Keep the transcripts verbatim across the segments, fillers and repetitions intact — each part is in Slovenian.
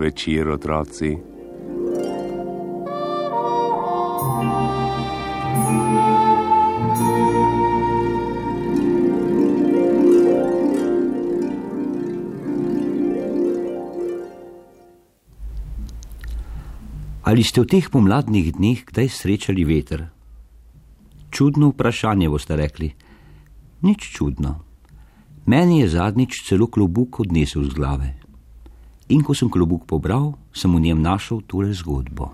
večer, otroci. Ali ste v teh pomladnih dneh kdaj srečali veter? Čudno vprašanje, boste rekli. Nič čudno. Meni je zadnjič celo klobuk odnesel z glave. In ko sem klobuk pobral, sem v njem našel tole zgodbo.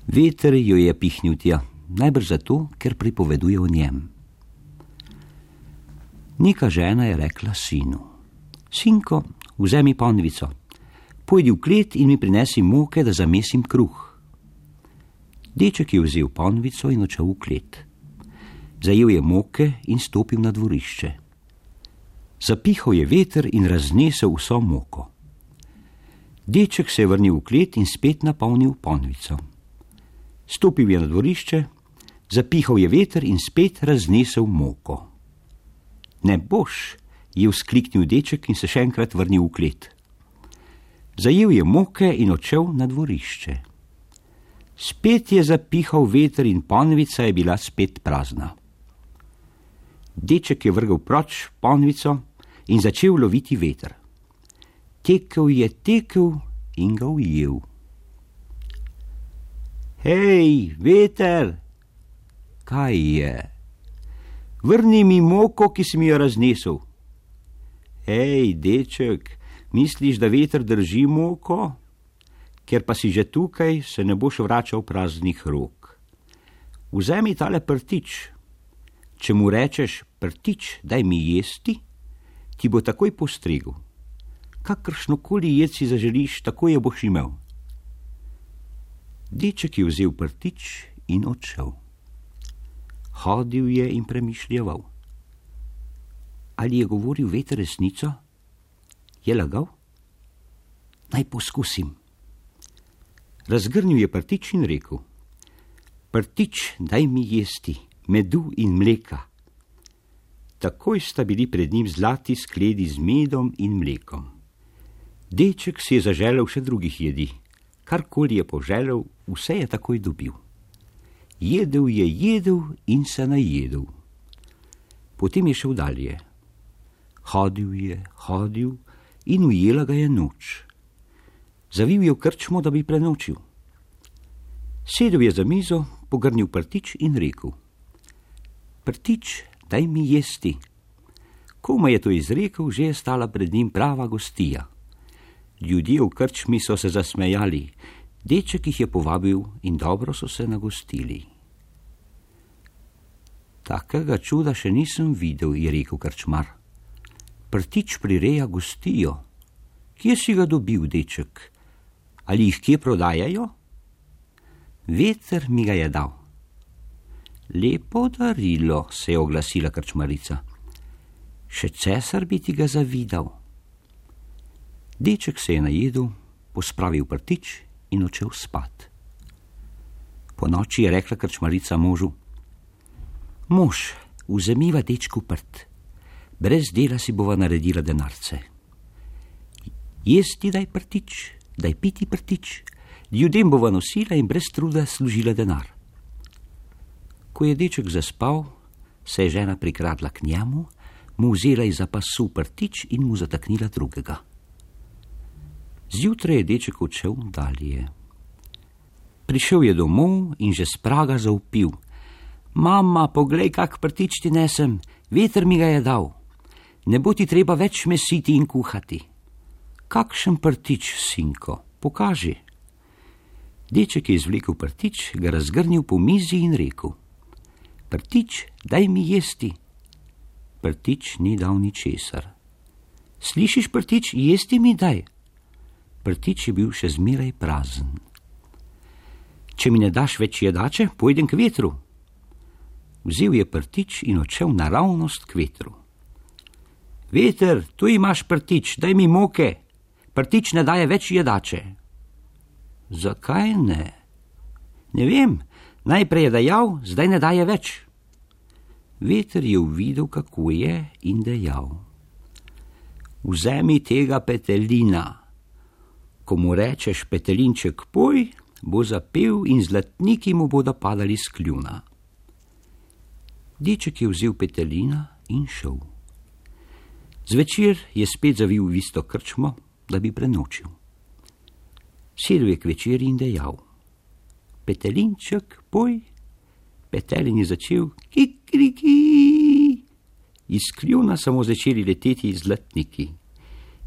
Veter jo je pihnil tja, najbrž zato, ker pripoveduje o njem. Neka žena je rekla sinu: Sinko, vzemi ponvico, pojdi v klet in mi prinesi moke, da zamesim kruh. Deček je vzel ponvico in odšel v klet. Zajel je moke in stopil na dvorišče. Zapihal je veter in raznesel vso moko. Deček se je vrnil v klet in spet napolnil ponvico. Stopil je na dvorišče, zapihal je veter in spet raznesel moko. Ne boš, je vzkliknil deček in se še enkrat vrnil v klet. Zajel je moke in odšel na dvorišče. Spet je zapihal veter in ponvica je bila spet prazna. Deček je vrgel proč ponvico in začel loviti veter. Tekel je, tekel in ga ujel. Hej, veter! Kaj je? Vrni mi moko, ki si mi jo raznesel. Hej, deček, misliš, da veter drži moko? Ker pa si že tukaj, se ne boš vračal praznih rok. Vzemi tale prtič. Če mu rečeš: prtič, daj mi jesti, ti bo takoj postregel. Kakršnokoli jed si zaželiš, tako je boš imel. Deček je vzel prtič in odšel. Hodil je in premišljeval. Ali je govoril veter resnico? Je lagal? Naj poskusim. Razgrnil je prtič in rekel: prtič, daj mi jesti medu in mleka. Takoj sta bili pred njim zlati skledi z medom in mlekom. Deček si je zaželel še drugih jedi. Karkoli je poželel, vse je takoj dobil. Jedel je, jedel in se najedel. Potem je šel dalje. Hodil je, hodil in ujela ga je noč. Zavil je v krčmo, da bi prenočil. Sedel je za mizo, pogrnil prtič in rekel: prtič, daj mi jesti. Komaj je to izrekel, že je stala pred njim prava gostija. Ljudje v krčmi so se zasmejali, deček jih je povabil in dobro so se nagostili. Takega čuda še nisem videl, je rekel krčmar. Prtič prireja gostijo. Kje si ga dobil, deček? Ali jih kje prodajajo? Veter mi ga je dal. Lepo darilo, se je oglasila krčmarica. Še cesar bi ti ga zavidal. Deček se je najedel, pospravil prtič in odšel spat. Po noči je rekla krčmarica možu: Mož, vzemiva dečku prt. Brez dela si bova naredila denarce. Jesti daj prtič, daj piti prtič, ljudem bova nosila in brez truda služila denar. Ko je deček zaspal, se je žena prikradla k njemu, mu vzela iz pasu prtič in mu zataknila drugega. Zjutraj je deček odšel dalje. Prišel je domov in že s praga zavpil: Mama, poglej, kak prtič ti nesem, veter mi ga je dal. Ne bo ti treba več mesiti in kuhati. Kakšen prtič, sinko, pokaži. Deček je izvlekel prtič, ga razgrnil po mizi in rekel: prtič, daj mi jesti. Prtič ni dal ničesar. Slišiš, prtič, jesti mi daj. Prtič je bil še zmeraj prazen. Če mi ne daš več jedače, pojdem k vetru. Vzel je prtič in odšel naravnost k vetru. Veter, tu imaš prtič, daj mi moke. Prtič ne daje več jedače. Zakaj ne? Ne vem, najprej je dajal, zdaj ne daje več. Veter je uvidel, kako je, in dejal: Vzemi tega petelina. Ko mu rečeš Petelinček poj, bo zapel in zlatniki mu bodo padali s kljuna. Deček je vzel Petelina in šel. Zvečer je spet zavil v isto krčmo, da bi prenočil. Sedel je k večeri in dejal: Petelinček poj. Petelin je začel kikriki. Iz kljuna samo začeli leteti zlatniki.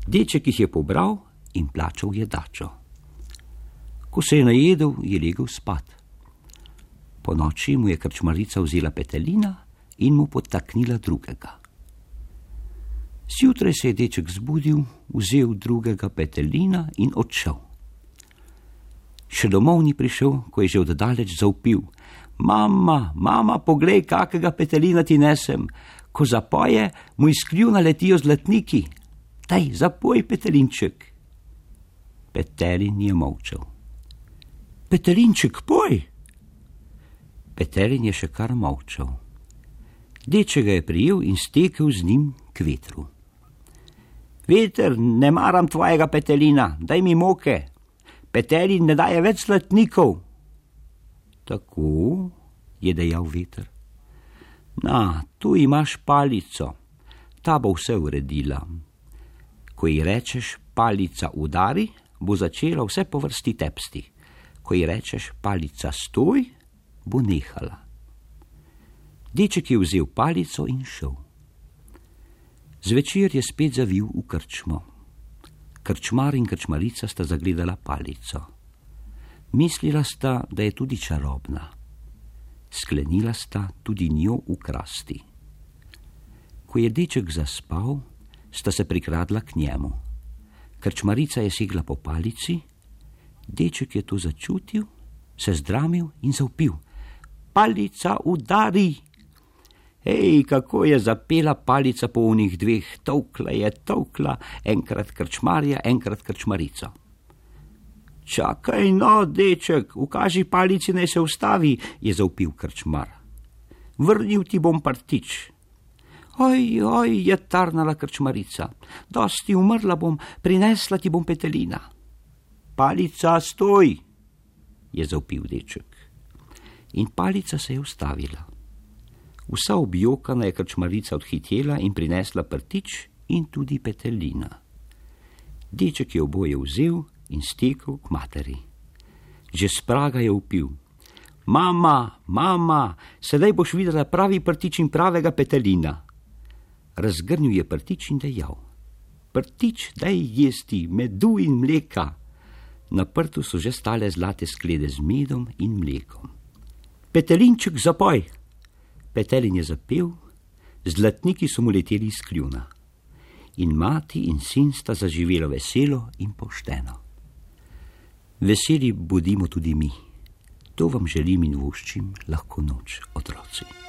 Deček jih je pobral in plačal jedačo. Ko se je najedel, je legel spat. Po noči mu je krčmarica vzela Petelina in mu podtaknila drugega. Zjutraj se je deček zbudil, vzel drugega Petelina in odšel. Še domov ni prišel, ko je že oddaleč zavpil: Mama, mama, poglej, kakega Petelina ti nesem. Ko zapoje, mu iz kljuna letijo zlatniki. Daj, zapoj, Petelinček. Petelin je molčal. Petelinček, poj! Petelin je še kar molčal. Deček ga je prijel in stekel z njim k vetru. Veter, ne maram tvojega Petelina, daj mi moke. Petelin ne daje več zlatnikov. Tako, je dejal veter. Na, tu imaš palico, ta bo vse uredila. Ko ji rečeš palica udari, bo začela vse po vrsti tepsti. Ko ji rečeš palica stoj, bo nehala. Deček je vzel palico in šel. Zvečer je spet zavil v krčmo. Krčmar in krčmarica sta zagledala palico. Mislila sta, da je tudi čarobna. Sklenila sta tudi njo ukrasti. Ko je deček zaspal, sta se prikradla k njemu. Krčmarica je segla po palici, deček je to začutil, se zdramil in zavpil: Palica udari! Hej, kako je zapela palica po onih dveh, tolkla je tolkla, enkrat krčmarja, enkrat krčmarico. Čakaj no, deček, ukaži palici, naj se ustavi, je zavpil krčmar. Vrnil ti bom prtič. Oj, oj, je tarnala krčmarica, dosti umrla bom, prinesla ti bom Petelina. Palica, stoj, je zavpil deček. In palica se je ustavila. Vsa objokana je krčmarica odhitela in prinesla prtič in tudi Petelina. Deček je oboje vzel in stekel k materi. Že s praga je vpil: Mama, mama, sedaj boš videla pravi prtič in pravega Petelina. Razgrnil je prtič in dejal: Prtič, daj jesti medu in mleka. Na prtu so že stale zlate sklede z medom in mlekom. Petelinček, zapoj! Petelin je zapel, zlatniki so mu leteli iz kljuna. In mati in sin sta zaživela veselo in pošteno. Veseli bodimo tudi mi. To vam želim in voščim lahko noč, otroci.